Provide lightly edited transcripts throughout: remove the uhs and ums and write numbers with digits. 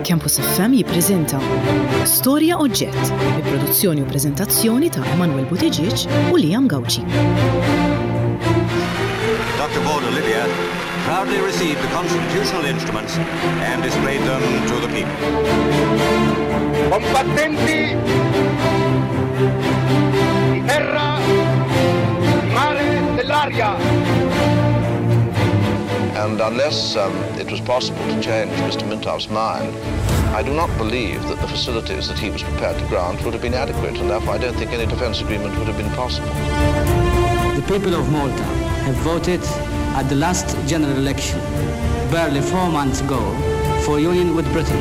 Campus FM jippreżenta Storja Oġġett bi produzzjoni u preżentazzjoni ta' Emanuel Buttigieg u Liam Gauci. Dr. Borg Olivia proudly received the constitutional instruments and displayed them to the people. Combattenti di terra, di mare, dell'aria. And unless um, it was possible to change Mr. Mintoff's mind, I do not believe that the facilities that he was prepared to grant would have been adequate, and therefore I don't think any defence agreement would have been possible. The people of Malta have voted at the last general election, barely four months ago, for union with Britain.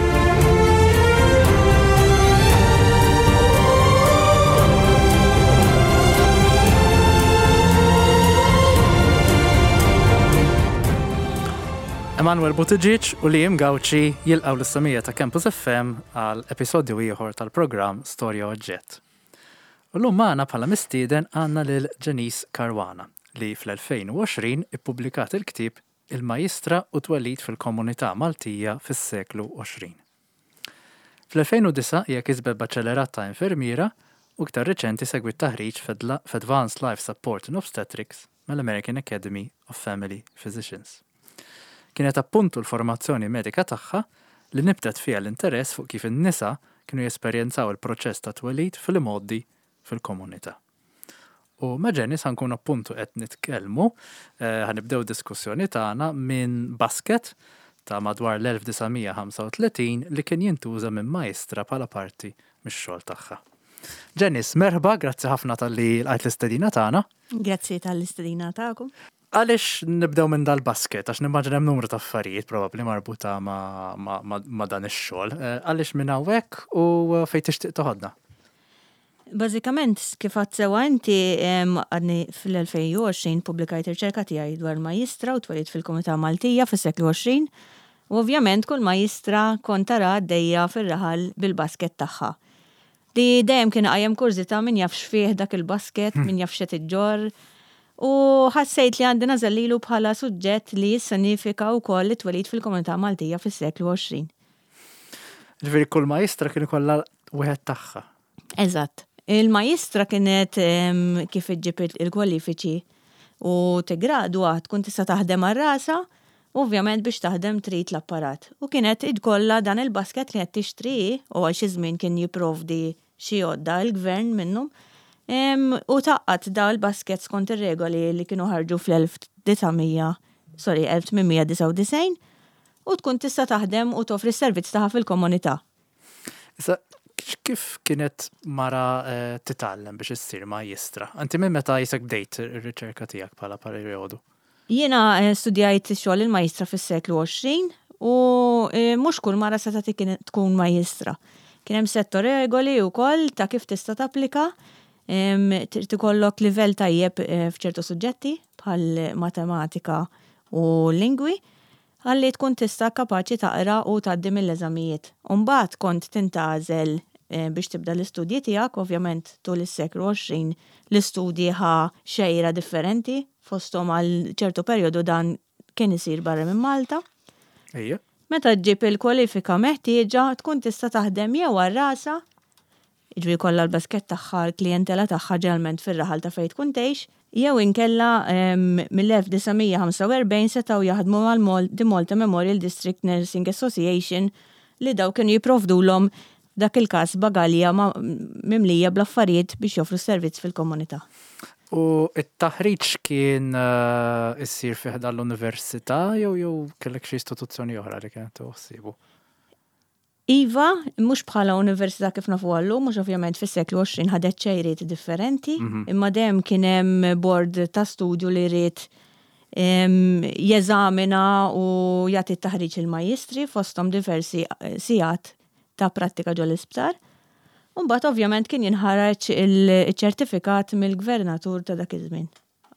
Emanuel Buttigieg u Liam Gauci jilqgħu lis-semija ta' Campus FM għal episodju ieħor tal-programm Storja Oġġett. U llum magħna bħala mistieden għandna lil Janice Caruana li fl-2020 ippubblikat il-ktieb Il-Majistra u Twelid fil-Komunità Maltija fis-Seklu 20. Fl-2009 hija kisbet Baċellerat ta' Infermiera u iktar riċenti segwiet taħriġ f'Advanced Life Support in Obstetrics mal-American Academy of Family Physicians. Kienet appuntu l-formazzjoni medika tagħha li nibtet fiha l-interess fuq kif in-nisa kienu jesperjenzaw il-proċess tat-twelid fl-imgħoddi fil-komunità. U ma' Janice ħa nkunu appuntu qed nitkellmu, ħa nibdew diskussjoni tagħna minn basket ta' madwar l-1935 li kien jintuża minn Maestra bħala parti mix-xogħol tagħha. Janice, merħba, grazzi ħafna talli lqajt l-istedina tagħna. Grazzi tal-istedina tagħkom. Għaliex nibdew minn dal-basket? Għax nimmaġina hemm numru ta' affarijiet probabbli marbuta ma' dan ix-xogħol. Għaliex minn hawnhekk u fejn tixtieq toħodna? Bażikament, kif għedt sewwa inti, għadni fl-2020 pubblikajt riċerka tiegħi dwar majjistra u twelid fil-komunità Maltija fis-seklu 20 u ovvjament kull majjistra kont tara għaddejja fir-raħal bil-basket tagħha. Li dejjem kien iqajjem kurżità min jaf x'fih dak il-basket, min jaf x'qed iġġorr. U ħassejt li għandi nagħżel lilu bħala suġġett li jissenifika wkoll it-twelid fil-komunità Maltija fis-seklu 20. Ġifieri kull majistra kien ikollha wieħed tagħha. Eżatt. Il-majistra kienet kif iġġib il-kwalifiċi u tigradwa tkun tista' taħdem għal rasha, u ovvjament biex taħdem trid l-apparat. U kienet ikollha dan il-basket li qed tixtri hi, u għal xi żmien kien jipprovdi xi għodda il-gvern minnhom, u tgħaqqad da l-basket skont ir-regoli li kienu ħarġu fl-1900, sorry, 1899, u tkun tista' taħdem u toffri s-servizz tagħha fil-komunità. Issa, kif kienet mara titgħallem biex issir majjistra? Inti minn meta jisek bdejt ir-riċerka tiegħek bħala perjodu? Jiena studjajt xogħol il-majjistra fis-seklu 20 u mhux kull mara setgħet tkun majjistra. Kien hemm sett ta' regoli wkoll ta' kif tista' tapplika. Trid ikollok livell tajjeb f'ċertu suġġetti bħal matematika u lingwi. Ħalli tkun tista' kapaċi taqra u tgħaddi mill-eżamijiet. U mbagħad kont tintgħażel biex tibda l-istudji tiegħek, ovvjament tul is-seklu 20 l-istudji ħa xejra differenti, fosthom għal ċertu perjodu dan kien isir barra minn Malta. Ejja. Meta ġġib il-kwalifika meħtieġa tkun tista' taħdem jew għal rasha jiġifieri jkollha l-basket tagħha, l-klijentela tagħha ġeneralment fir-raħal ta' fejn tkun tgħix, jew inkella mill-1945 setgħu jaħdmu mal-The Malta Memorial District Nursing Association li dawn kienu jipprovdulhom f'dak il-każ bagalja mimlija bl-affarijiet biex joffru s-servizz fil-komunità. U t-taħriġ kien isir fi ħdan l-università jew jew kellek xi istituzzjoni oħra li kienet tieħu ħsiebu? Iva, mhux bħala università kif nafuha llum, mhux ovvjament fis-seklu 20 ħadet xejriet differenti, imma dejjem kien hemm bord ta' studju li ried jeżamina u jagħti t-taħriġ lill-majjistri fosthom diversi sigħat ta' prattika ġol-isptar. U mbagħad ovvjament kien jinħareġ iċ-ċertifikat mill-gvernatur ta' dak iż-żmien.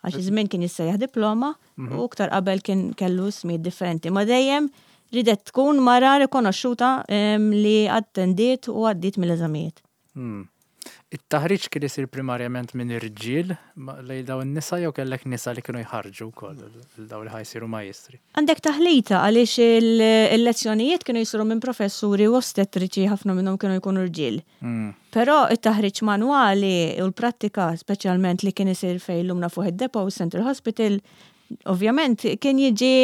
Għax iż-żmien kien jissejjaħ diploma u iktar qabel kien kellu ismijiet differenti. Ma dejjem ridet tkun mara rikonoxxuta li attendiet u għaddiet mill-eżamijiet. Hmm. It-taħriġ kien isir primarjament minn irġiel lejn dawn in-nisa jew kellek nisa li kienu jħarrġu wkoll lil dawn li ħa jsiru majjistri? Għandek taħlita għaliex il-lezzjonijiet kienu jsiru minn professuri u ostetriċi ħafna minnhom kienu jkunu rġiel. Però it-taħriġ manwali u l-prattika speċjalment li kien isir fejn illum nafuh id-Depot, Central Hospital, ovvjament kien jiġi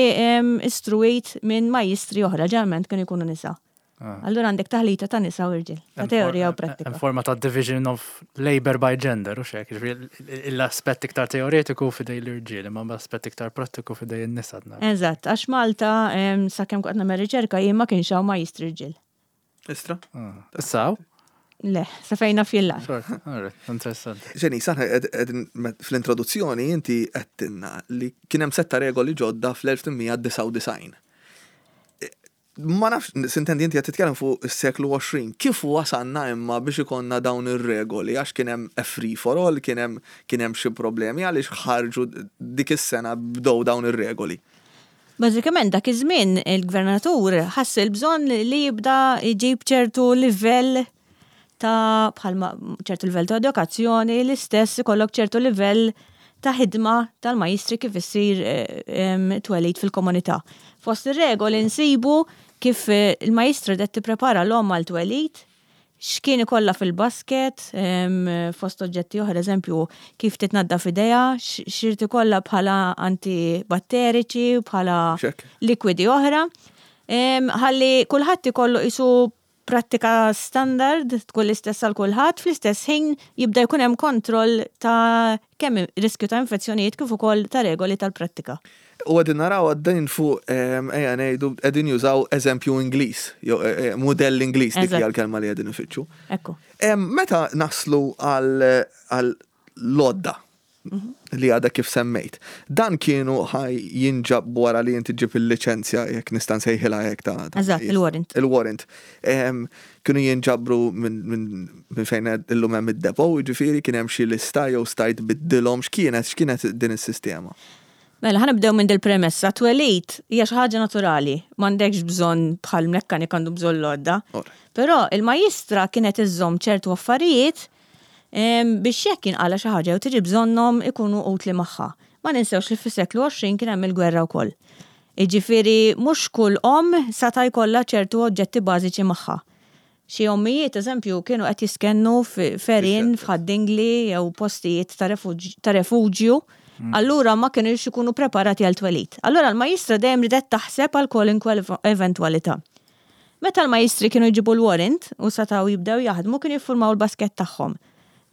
istruwit minn majjistri oħra, ġeneralment kienu jkunu nisa. Ah. Allura għandek taħlita ta' nisa u irġiel, ta' teorija u prattika. Hemm forma ta' division of labor by gender, u xek, l-aspett iktar teoretiku fidej l-irġiel, imma l-aspett iktar prattiku fidej in-nisa. Eżatt, għax Malta sakemm kont nagħmel riċerka jien ma kienx hawn majjistri rġiel. Istra? Ah. Issa hawn? Le, sa fejn naf jien Interessanti. Ġeni, saħna fl-introduzzjoni inti għedtilna li kien hemm setta regoli ġodda fl-1899. Ma nafx, sintendi inti qed titkellem fuq is-seklu 20. Kif wasalna imma biex ikollna dawn ir-regoli għax kien hemm a free for all, kien hemm kien hemm xi problemi għaliex ħarġu dik is-sena bdew dawn ir-regoli? Bażikament dak iż-żmien il-gvernatur ħass il-bżonn li jibda jġib ċertu livell ta' bħalma ċertu livell ta' edukazzjoni, l-istess ikollok ċertu livell ta' ħidma tal-majjistri kif issir twelid fil-komunità. Fost ir-regoli nsibu kif il-majjistra qed tipprepara l-omm għal twelid, x'kien ikollha fil-basket, fost oġġetti oħra, eżempju, kif titnaddaf idejha, x'irid ikollha bħala antibatteriċi, bħala likwidi oħra. Ħalli kulħadd ikollu qisu prattika standard tkun l-istess għal kulħadd, fl-istess ħin jibda jkun hemm kontroll ta' kemm riskju ta' infezzjonijiet kif ukoll ta' regoli tal-prattika. U qegħdin naraw għaddejn fuq ejja ngħidu qegħdin jużaw eżempju Ingliż, jew mudell Ingliż dik hija l-kelma li qegħdin ifittxu. Ekku. Meta naslu għal l-għodda li għadha kif semmejt. Dan kienu ħaj jinġab wara li inti ġib il-liċenzja jekk nista' nsejħilha hekk ta' Eżatt, il-warrant. Il-warrant. Kienu jinġabru minn fejn illum hemm id-depo, jiġifieri kien hemm xi lista jew stajt biddilhom x'kienet x'kienet din is-sistema? Mela, ħa nibdew minn dil-premessa. Twelid hija xi ħaġa naturali, m'għandekx bżonn bħal mekkanik għandu bżonn l-għodda. Però il-majjistra kienet iżżomm ċertu affarijiet biex jekk jinqala' xi ħaġa jew tiġi bżonnhom ikunu utli magħha. Ma ninsewx li fis-seklu 20 kien hemm il-gwerra wkoll. Jiġifieri mhux kull omm sata' jkollha ċertu oġġetti bażiċi magħha. Xi ommijiet, eżempju, kienu qed jistkennu f'għerien, f'Ħad-Dingli jew postijiet ta' refuġju, allura ma kinux ikunu preparati għal twelid. Allura l-majjistra dejjem riedet taħseb għal kwalunkwe eventwalità. Meta l-majjistri kienu jġibu l-warrant u setgħu jibdew jaħdmu kienu jiffurmaw il-baskett tagħhom.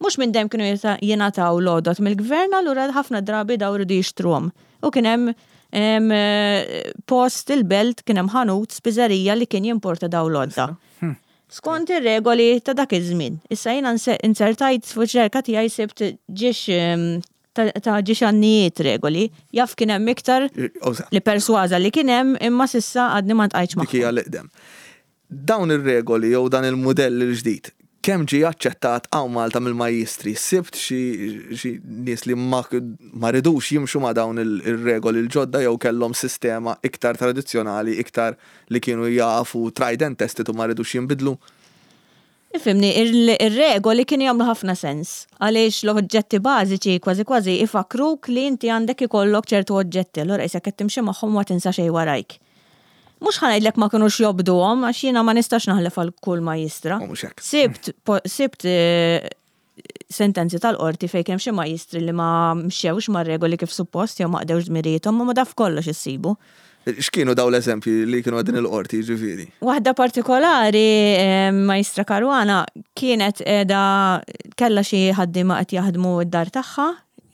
Mhux minn dejjem kienu jingħataw l-għodod mill-gvern allura ħafna drabi daw riedu jixtruhom. U kien hemm post il-belt kien hemm ħanut spiżerija li kien jimporta daw l-għodda. Skont ir-regoli ta' dak iż-żmien. Issa jiena inzertajt fuq ċerka tiegħi sibt ġiex ta' ġiex għannijiet regoli, jaf kien hemm iktar li persważa li kien hemm imma s'issa għadni ma ltqajtx magħhom. Dik hija l-eqdem. Dawn ir-regoli jew dan il-mudell il-ġdid, kemm ġie aċċettat hawn Malta mill-majjistri? Sibt xi nies li ma ridux jimxu ma' dawn ir-regoli l-ġodda jew kellhom sistema iktar tradizzjonali, iktar li kienu jafu tried and tested u ma ridux jinbidlu? Ifhimni, ir-regoli kienu jagħmlu ħafna sens, għaliex l-oġġetti bażiċi kważi kważi ifakkruk li inti għandek ikollok ċertu oġġetti, allura qisek qed timxi magħhom u ma tinsa xejn warajk. Mhux ħa ngħidlek ma kinux jobduhom għax jiena ma nistax naħlef għal kull majjistra. U mhux hekk. Sibt sibt sentenzi tal-qorti fejn kien hemm xi majjistri li ma mxewx mar-regoli kif suppost jew ma qdewx dmirijiethom, imma daf kollox issibu. X'kienu dawn l-eżempji li kienu qegħdin il-qorti jiġifieri? Waħda partikolari, Majstra Caruana, kienet qiegħda kellha xi ħaddiema qed jaħdmu d-dar tagħha,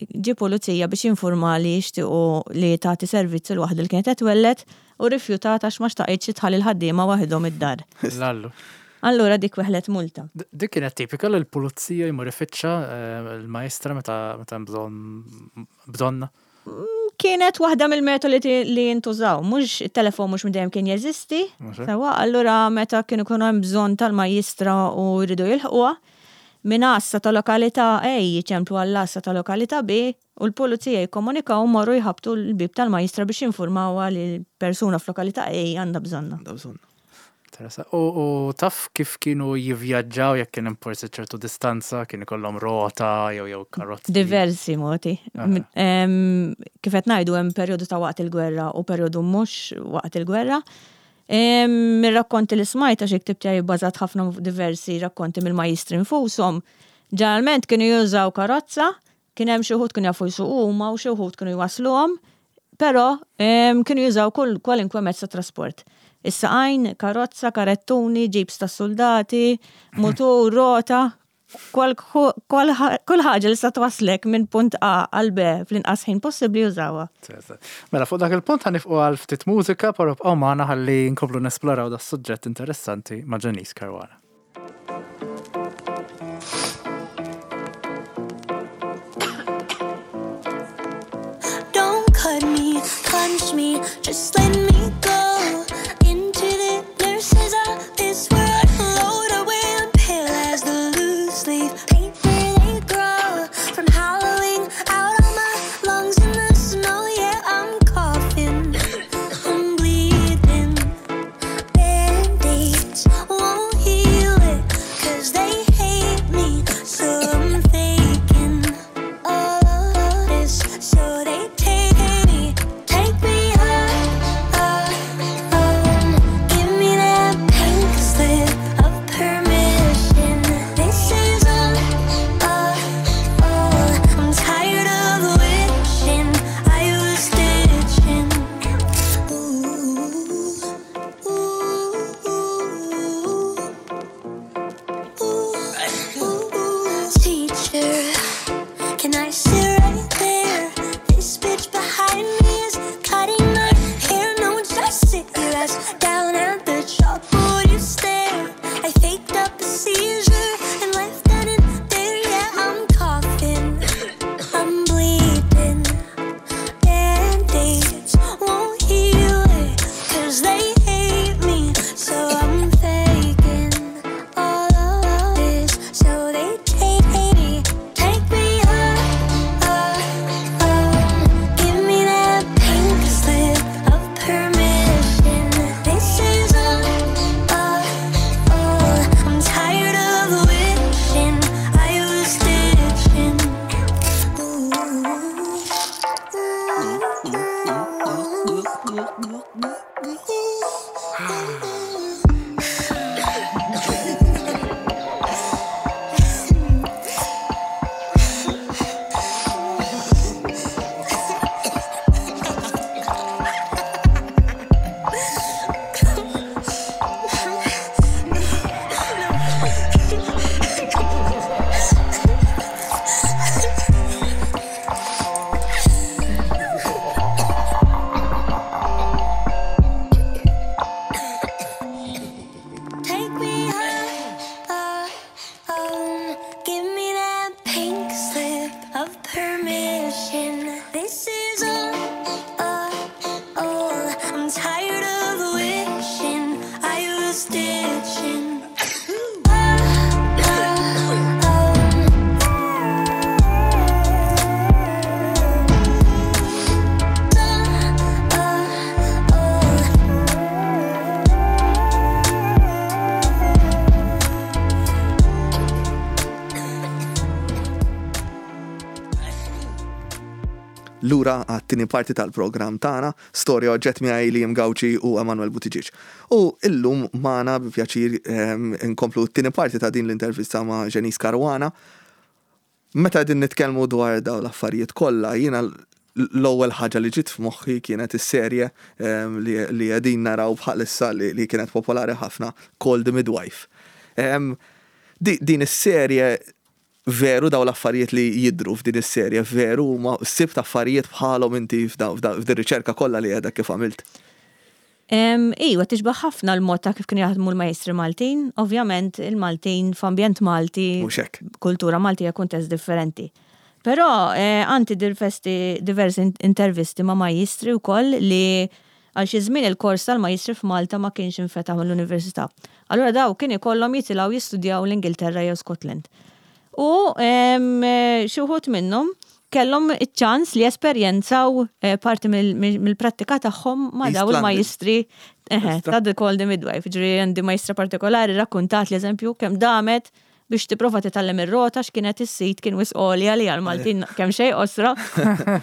ġie pulizija biex jinfurma li jixtiequ li tagħti servizz lil waħda li kienet qed twelled u rrifjutat għax ma xtaqitx li tħalli l-ħaddiema waħedhom id-dar. Lallu. Allura dik weħlet multa. Dik kienet tipika li l-pulizija jmur ifittxa l-majstra meta hemm bżonn bżonnha? Kienet waħda mill-metodi li jintużaw. Mhux it-telefon mhux minn dejjem kien jeżisti. Sewwa, allura meta kienu jkunu hemm bżonn tal-majjistra u jridu jilħquha, minn għassa ta' lokalità A jiċemplu għall-għassa ta' lokalità B u l-pulizija jikkomunikaw u morru jħabbtu l-bieb tal-majjistra biex jinfurmawha li persuna f'lokalità A għandha bżonnha. Għandha bżonnha. Interessa. U taf kif kienu jivvjaġġaw jekk kien hemm forsi ċertu distanza, kien ikollhom rota jew jew karozzi? Diversi modi. Kif qed ngħidu hemm perjodu ta' waqt il-gwerra u perjodu mhux waqt il-gwerra. Mir-rakkonti li smajt għax il-ktieb tiegħi bbażat ħafna fuq diversi rakkonti mill-majjistri nfushom, ġeneralment kienu jużaw karozza, kien hemm xi wħud kienu jafu jsuqu huma u xi wħud kienu jwassluhom, però kienu jużaw kull kwalinkwe mezz ta' trasport. Is-saqajn, karozza, karettuni, ġibs tas-suldati, mutur, rota, Kull ħaġa li sa twasslek minn punt A għal B fl-inqas ħin possibbli użawha. Mela fuq dak il-punt ħa nifqu għal ftit mużika, però bqgħu magħna ħalli nkomplu nesploraw das-suġġett interessanti ma' Janice Caruana. Don't cut me, punch me, just let me go into the nurses of this world. Load away and pale as the loose leaf paper they grow from hollowing out all my lungs in the snow. Yeah, I'm coughing, I'm bleeding. Band-aids won't heal it, 'cause they hate me, so I'm faking all of this so they take me, take me home, give me that pink slip of permission. This is all, all, all. I'm tired of wishing I was stitching. Ooh, ooh, ooh, ooh. Teacher, can I sit right there? This bitch behind me is cutting my hair. No, just sit your ass down at the chalkboard. You stare. I faked up a seizure and left that in there. Yeah, I'm coughing, I'm bleeding. Band-aids won't heal it, 'cause they hate me, so I'm faking all of this so they take me, take me home, give me that pink slip of permission. This is all, all, all. I'm tired of wishing I was stitching. Take me home, give me that pink slip of permission. This is all, all, all. I'm tired of wishing I was stitching. Lura għat-tieni parti tal-programm tagħna, Storja Oġġett miegħi Liam Gauci u Emanuel Buttigieg. U illum magħna bi pjaċir ehm, inkomplu t-tieni parti ta' din l-intervista ma' Janice Caruana. Meta qegħdin nitkellmu dwar dawn l-affarijiet kollha, jiena l-ewwel ħaġa li ġiet f'moħħi kienet is-serje ehm, li qegħdin naraw bħalissa li kienet popolari ħafna Call the Midwife. Ehm, din is-serje veru dawn l-affarijiet li jidhru f'din is-serje veru huma sibt affarijiet bħalhom inti f'din riċerka kollha li għedek kif għamilt? Iwa, tixbah ħafna l-mod ta' kif kienu jaħdmu l-majestri Maltin. Ovvjament, il-Maltin f'ambjent Malti, kultura Maltija kuntest differenti. Però eh, għandi diversi intervisti ma' majjistri wkoll li għal xi żmien il-kors tal-majjistri f'Malta ma kienx infetaħ mill-Università. Allura daw kien ikollhom jitilgħu jistudjaw l-Ingilterra jew Scotland. U xi wħud minnhom. kellhom iċ-ċans li jesperjenzaw eh, parti mill-prattika tagħhom ma' daw il-majistri eh, ta' The Call the Midwife. Ġri għandi majstra partikolari rakkuntat li eżempju kemm damet biex tipprova titgħallem ir-rota x'kienet is-sit kien wisq għolja li għal-Maltin kemm xejn qosra,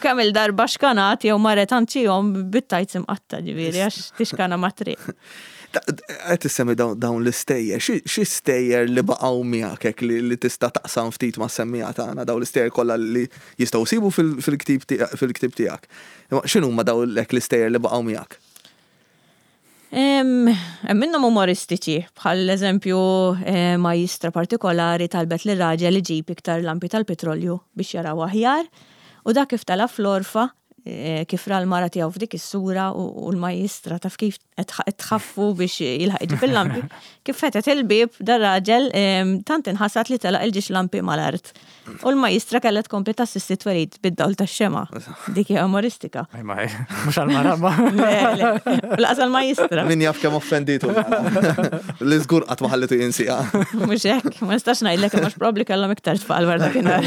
kemm il-darba xkanat jew marret għand xi omm bit-tajts imqatta' ġifieri għax tixkana mat-triq. Qed issemmi dawn l-istejjer, xi stejjer li baqgħu miegħek hekk li tista' taqsam ftit mas-semmiegħa tagħna, dawn l-istejjer kollha li jistgħu jsibu fil-ktieb tiegħek. X'inhuma dawn hekk l-istejjer li baqgħu miegħek? Hemm minnhom umoristiċi, bħal eżempju eh, majistra partikolari talbet lir raġel iġib iktar lampi tal-petrolju biex jaraw aħjar, u dak kif tela' fl-għorfa, eh, kif ra l-mara tiegħu f'dik is-sura u l-majistra taf kif qed tħaffu biex jilħaq iġib il-lampi. Kif fetet il-bieb dar-raġel tant inħasad li telaq il-ġiex lampi mal-art. U l-majistra kellha tkompli tassisti twelid bid-dawl tax-xemgħa. Dik hija umoristika. Mhux għall-mara ma. Laqas għall-majistra. Min jaf kemm offenditu. Li żgur qatt ma ħallitu jinsiha. Mhux hekk, ma nistax ngħidlek imma probabbli kellhom iktar tfal wara dakinhar.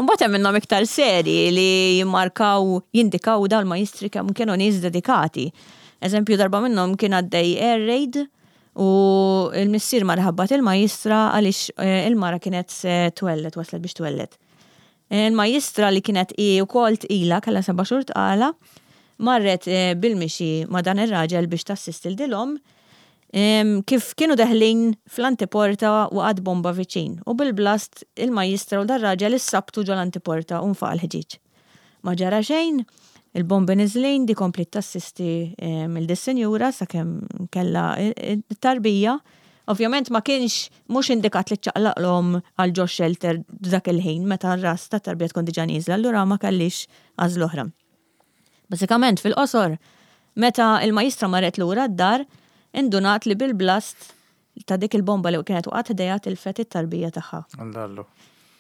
Imbagħad hemm minnhom iktar seri li jimmarkaw, jindikaw dawn il-majistri kemm kienu nies dedikati. Eżempju darba minnhom kien għaddej air raid U l-missier mar iħabbat il-majistra għaliex il-mara kienet se twelled, waslet biex twelled. Il-majistra li kienet hi wkoll tqila, kellha seba' xhur tqala, marret bil-mixi ma' dan ir-raġel biex tassisti 'l din l-omm. Kif kienu deħlin fl-antiporta waqgħet bomba viċin u bil-blast il-majistra u dar-raġel issabtu ġol-antiporta u nfaqa' l-ħġieġ. Ma ġara xejn, il-bombi niżlin, di kompliet tassisti lil dis-sinjura sakemm kellha t-tarbija. Ovvjament ma kienx mhux indikat li ċċaqlaq l-omm għal ġo xelter dak il-ħin meta r-ras tat-tarbija tkun diġà nieżla, allura ma kellhiex għażla oħra. Bażikament fil-qosor, meta l-majistra marret lura d-dar, indunat li bil-blast ta' dik il-bomba li kienet waqgħet ħdejha tilfet it-tarbija tagħha. Allallu.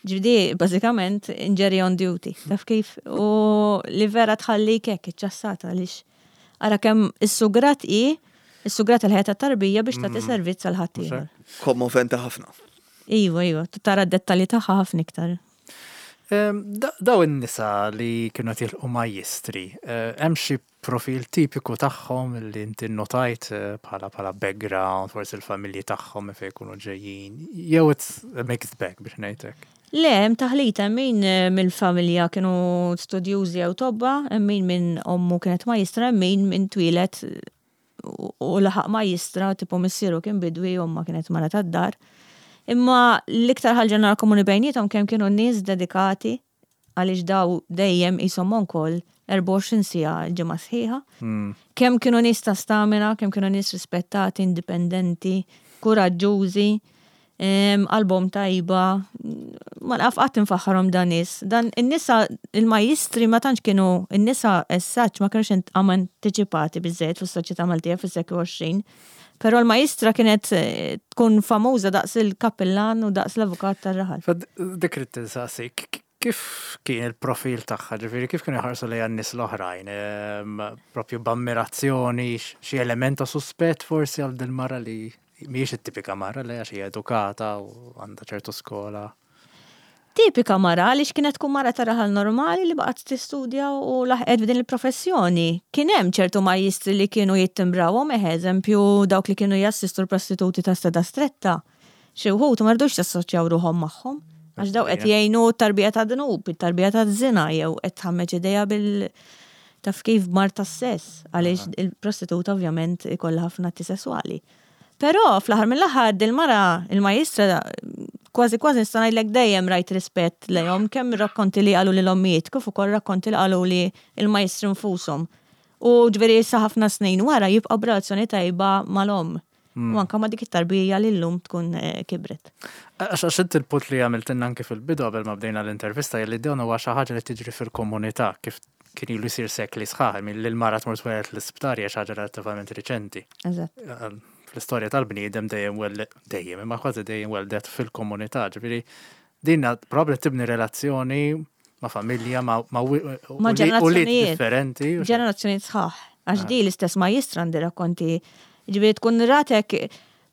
Ġifieri bażikament injury on duty, taf kif? U li vera tħallik hekk iċċassata għaliex ara kemm is-sugrat hi, is-sugrat il-ħajja tat-tarbija biex tagħti mm. servizz għal ħaddieħor. Kommoventi ħafna. Iva, iva, tara d-dettalji tagħha ħafna iktar. Ehm, daw in-nisa li kienu qed jilqu majjistri, eh, hemm xi profil tipiku tagħhom li inti nnotajt bħala bħala background, forsi l-familji tagħhom minn fejn jkunu ġejjin, jew it's a mixed bag biex ngħid hekk? Le, hemm taħlita, hemm min mill-familja kienu studjużi jew tobba, hemm min minn ommu kienet majistra, hemm min minn twieled u laħaq majistra, tipo missieru kien bidwi, omma kienet mara tad-dar. Imma l-iktar ħaġa nara komuni bejniethom kemm kienu nies dedikati għaliex daw dejjem qishom on call 24 siegħa l-ġimgħa sħiħa. Kemm kienu nies ta' stamina, kemm kienu nies rispettati, indipendenti, kuraġġużi, qalbhom tajba. Ma naf qatt infaħħarhom dan nies. Dan in-nisa il-majjistri ma tantx kienu in-nisa as such ma kinux antiċipati biżżejjed fis-soċjetà Maltija fis-seklu 20. Però l-majistra kienet eh, tkun famuża daqs il-kappillan u daqs l-avukat tar-raħal. Dik ridt insaqsik, kif kien il-profil tagħha, ġifieri kif kienu jħarsu lejha n-nies l-oħrajn, ehm, propju b'ammirazzjoni, xi element ta' suspett forsi għal din mara li mhijiex it-tipika mara li għax hija edukata u għandha ċertu skola. Tipika mara għaliex kienet tkun mara ta' raħal normali li baqgħet tistudja u laħqet f'din il-professjoni. Kien hemm ċertu majjistri li kienu jittimbrawhom, eħe, eżempju dawk li kienu jassistu l-prostituti ta' Strada Stretta. Xi wħud ma ridux jassoċjaw ruħhom magħhom għax dawk qed jgħinu t-tarbija ta' dnub, it-tarbija ta' żina jew qed tħammeġ idejha bil taf kif b'mard tas-sess għaliex il-prostituta ovvjament ikollha ħafna atti sesswali. Però fl-aħħar mill-aħħar dil-mara, il-majistra, kważi kważi nista' ngħidlek dejjem rajt rispett lejhom kemm rakkonti li qaluli l-ommijiet kif ukoll rakkonti li qaluli l-majjistri nfushom. U ġifieri issa ħafna snin wara jibqgħu b'relazzjoni tajba mal-omm. U anke ma' dik it-tarbija li llum tkun kibret. Għax għax inti l-punt li għamiltilna anke fil-bidu qabel ma bdejna l-intervista hija li dan huwa xi ħaġa li tiġri fil-komunità kif kien ilu jsir sekli sħaħ, li l-mara tmur tweled l-isptar hija xi ħaġa relattivament riċenti. Eżatt. Fl-istorja tal-bniedem dejjem dejjem, imma kważi dejjem weldet fil-komunità, ġifieri din probabbli tibni relazzjoni ma' familja, ma' ma' ġenerazzjonijiet differenti. Ġenerazzjonijiet sħaħ. Għax ah. di l-istess ma jistra għandi rakkonti. Ġifieri tkun ratek.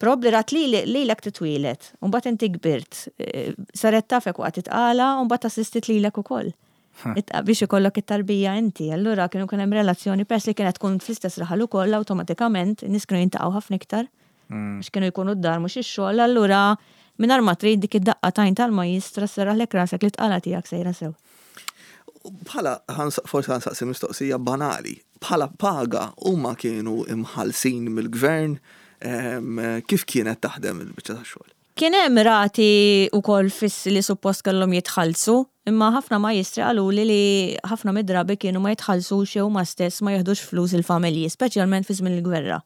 Probabbli rat lilek titwieled, u mbagħad inti kbirt, saret tafek waqt it-tqala u mbagħad assistit lilek ukoll. Biex ikollok it-tarbija inti. Allura kienu kien hemm relazzjoni peress li kienet tkun fl-istess raħal ukoll awtomatikament in-nies kienu jintaqgħu ħafna iktar. Għax kienu jkunu d-dar mhux ix-xogħol, allura mingħajr ma trid dik id-daqqa t'għajn tal-majjistra sserraħlek rasek li t-tqala tiegħek sejra sew. Bħala, forsi ħa nsaqsi mistoqsija banali, bħala paga huma kienu imħallsin mill-gvern, kif kienet taħdem il-biċċa tax-xogħol? Kien hemm rati wkoll fissi li suppost kellhom jitħallsu, imma ħafna majjistri qaluli li ħafna mid-drabi kienu ma jitħallsux jew huma stess ma jiħdux flus il-familji, speċjalment fi żmien il-gwerra.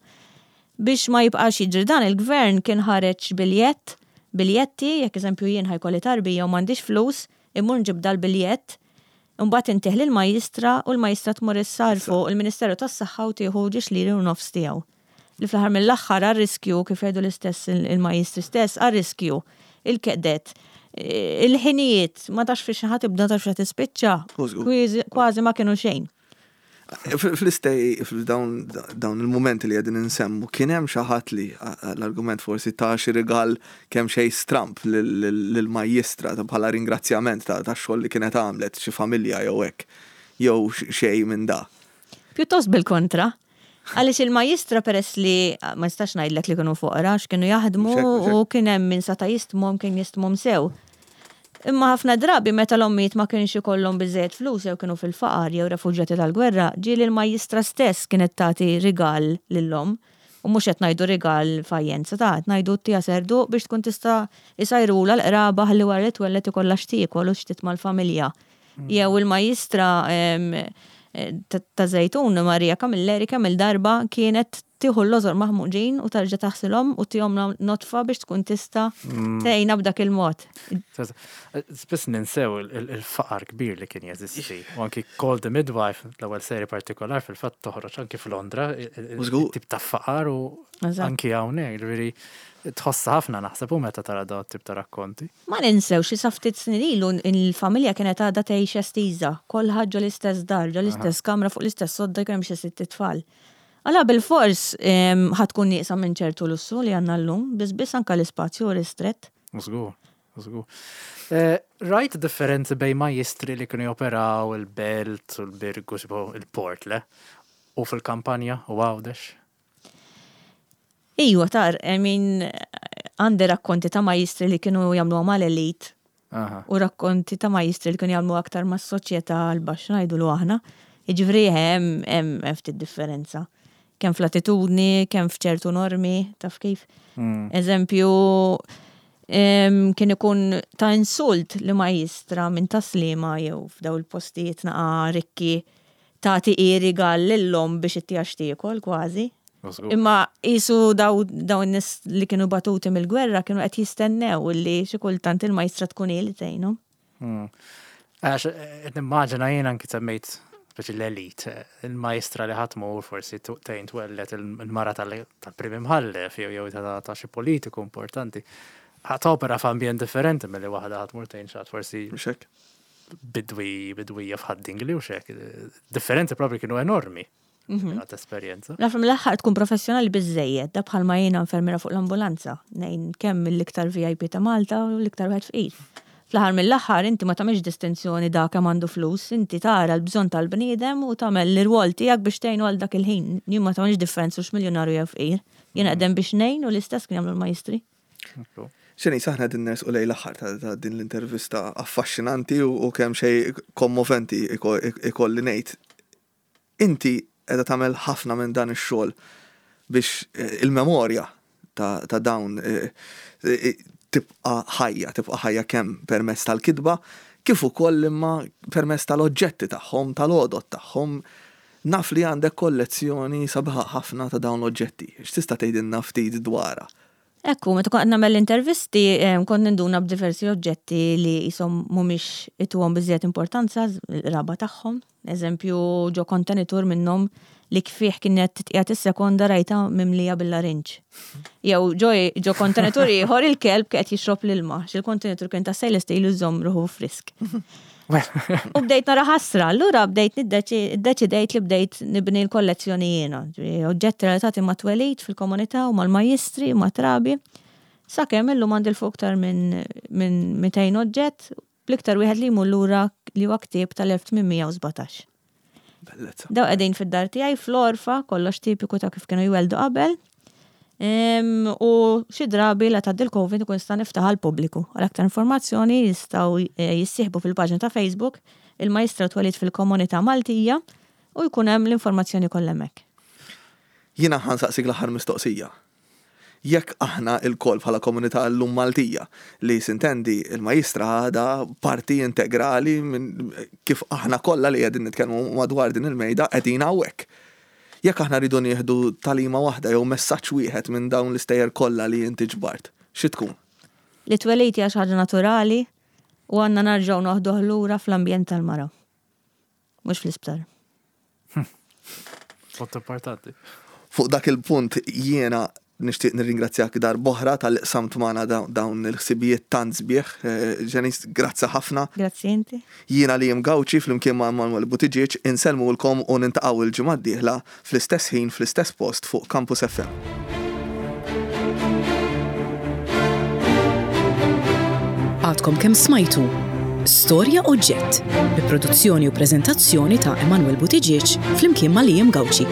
Biex ma jibqax jiġri dan, il-gvern kien ħareġ biljett, biljetti, jekk eżempju jien ħa jkolli tarbija u m'għandix flus, Immur nġib dal-biljett, imbagħad intih lill-majjistra u l-majjistra tmur issarrfu il-Ministeru tas-Saħħa u tieħu ġiex liri u nofs tiegħu. Li fl-aħħar mill-aħħar għar-riskju, kif jgħidu l-istess il-majjistri stess, għar-riskju, il-kedet, il-ħinijiet, ma tafx fiex ħa tibda, ma tafx fiex ħa tispiċċa, kważi ma kienu xejn. Fl-istej, f'dawn il-mumenti li qegħdin insemmu, kien hemm xi ħadd li l-argument forsi ta xi rigal kemm xejn stramb lill-majjistra bħala ringrazzjament tax-xogħol li kienet għamlet xi familja jew hekk, jew xejn minn da? Pjuttost bil-kontra. Għaliex il-majjistra peress li ma nistax ngħidlek li kienu foqra għax kienu jaħdmu u kien hemm min seta' jistmhom kien jistmhom sew. Imma ħafna drabi meta l-ommijiet ma kienx ikollhom biżżejjed flus jew kienu fil-faqar jew refuġjati tal-gwerra, ġieli l-majjistra stess kienet tagħti rigal lill-omm. U mhux qed ngħidu rigal f'ajjenza ta', qed ngħidu ttiha serduq biex tkun tista' jsajrulha l-qraba ħalli wara li twelled ikollha x'tiekol u x'titma' l-familja. Jew il-majjistra ta' Żejtun, Maria Camilleri, kemm-il darba kienet tieħu l-lożor maħmuġin u tarġa' taħsilhom u tihomlha nodfa biex tkun tista' tgħinha b'dak il-mod. Spiss ninsew il-faqar kbir li kien jeżisti. U anki Call the Midwife, l-ewwel seri partikolar fil-fatt toħroġ anki f'Londra, tip ta' faqar u anki hawnhekk, ġifieri tħossha ħafna naħseb u meta tara dawn it-tip ta' rakkonti. Ma ninsewx li sa ftit snin ilu l-familja kienet għadha tgħix estiża, kulħadd ġo l-istess dar, ġo l-istess kamra fuq l-istess sodda jkun hemm xi sitt itfal. Allura bilfors ħa tkun nieqsa minn ċertu lussu li għandna llum, biss biss anke l-ispazju hu ristrett. Żgur, żgur. Rajt differenzi bejn majjistri li kienu joperaw il-Belt u l-Birgu, tipo il-Port, le? U fil-kampanja u Għawdex? Ijwa, tar, I mean, għandi rakkonti ta' majjistri li kienu jagħmluha mal-elite u rakkonti ta' majjistri li kienu jagħmlu aktar mas-soċjetà l-baxxa ngħidulu aħna. Jiġifieri hemm hemm ftit differenza. Kemm fl-attitudni, kemm f'ċertu normi, taf kif. Eżempju, kien ikun ta' insult li majjistra minn Tas-Sliema jew f'daw il-postijiet naqa' rikki tagħti hi rigal lill-omm biex ittiha x'tiekol kważi. Imma qisu daw in-nies li kienu batuti mill-gwerra kienu qed jistennew illi xi kultant il-majstra tkun hi li tgħinhom. Għax qed nimmaġina jien anki semmejt speċi l-elit, il-majstra li ħadd tmur forsi tgħin twelled il-mara tal-prim imħallef jew jew ta' xi politiku importanti. Ħa topera f'ambjent differenti milli waħda ħa tmur tgħin xi ħadd forsi. Mhux hekk? Bidwi, bidwija f'Ħad-Dingli u xek. Differenzi propri kienu enormi. Għat esperjenza. Naf mill-aħħar tkun professjonali biżżejjed, da bħalma jiena infermiera fuq l-ambulanza, ngħin kemm mill-iktar VIP ta' Malta u l-iktar wieħed fqir. Fl-aħħar mill-aħħar inti ma tagħmilx distinzjoni dak kemm għandu flus, inti tara l-bżonn tal-bniedem u tagħmel l-irwol tiegħek biex tgħinu għal dak il-ħin. Jien ma tagħmilx differenza hux miljunarju jew fqir. Jien qed hemm biex ngħin u l-istess kien jagħmlu l-majjistri. Xenisa, aħna qegħdin nersqu lejn l-aħħar ta' din l-intervista affaxxinanti u kemm xejn kommoventi ikolli ngħid. Inti qiegħda tagħmel ħafna minn dan ix-xogħol biex il-memorja ta' dawn tibqa' ħajja, tibqa' ħajja kemm permezz tal-kitba kif ukoll imma permezz tal-oġġetti tagħhom, tal-għodod tagħhom. Naf li għandek kollezzjoni sabiħa ħafna ta' dawn l-oġġetti. X'tista' tgħidilna ftit dwarha? Ekku, meta kont qed nagħmel l-intervisti, kont ninduna b'diversi oġġetti li qishom mhumiex ituhom biżżejjed importanza l-qraba tagħhom. Eżempju, ġo kontenitur minnhom li fih kienet titqiegħed is-sekonda rajtha mimlija bil-larinġ. Jew ġo ġo kontenitur ieħor il-kelb kien qed jixrob l-ilma, għax il-kontenitur kien ta' stainless steel u jżomm ruħu frisk. U bdejt nara ħasra, allura bdejt niddeċidejt li bdejt nibni l-kollezzjoni jiena. Oġġetti relatati ma' twelid fil-komunità u mal-majjistri, ma' trabi. Sakemm illum għandi 'l fuq iktar minn 200 oġġett, bl-iktar wieħed li jmur lura li huwa ktieb tal-1817. Bellezza. Daw qegħdin fid-dar tiegħi fl-għorfa, kollox tipiku ta' kif kienu jwelldu qabel. U xi drabi la tgħaddi l-Covid ikun nista' niftaħ għall-pubbliku. Għal aktar informazzjoni jistgħu eh, jissieħbu fil-paġna ta' Facebook il-Majstra Twelid fil-Komunità Maltija u jkun hemm l-informazzjoni kollha hemmhekk. Jiena ħa nsaqsik l-aħħar mistoqsija. Jekk aħna lkoll bħala komunità llum Maltija, li sintendi il-Majistra għadha parti integrali minn kif aħna kollha li qegħdin nitkellmu madwar din il-mejda qegħdin hawnhekk. Jekk aħna rridu nieħdu tagħlima waħda jew messaġġ wieħed minn dawn l-istejjer kollha li inti ġbart, xi tkun? Li t-twelid hija xi ħaġa naturali u għandna narġgħu noħduh lura fl-ambjent tal-mara. Mhux fl-isptar. Punt importanti. Fuq dak il-punt jiena nixtieq nirringrazzjak darb'oħra talli qsamt magħna dawn il-ħsibijiet tant sbieħ. Janice, grazzi ħafna. Grazzi inti. Jiena Liam Gauci flimkien ma' Manuel Buttigieg insellmulkom u nintaqgħu l-ġimgħa d-dieħla fl-istess ħin fl-istess post fuq Campus FM. Għadkom kemm smajtu Storja Oġġett bi produzzjoni u preżentazzjoni ta' Emanuel Buttigieg flimkien ma' Liam Gauci.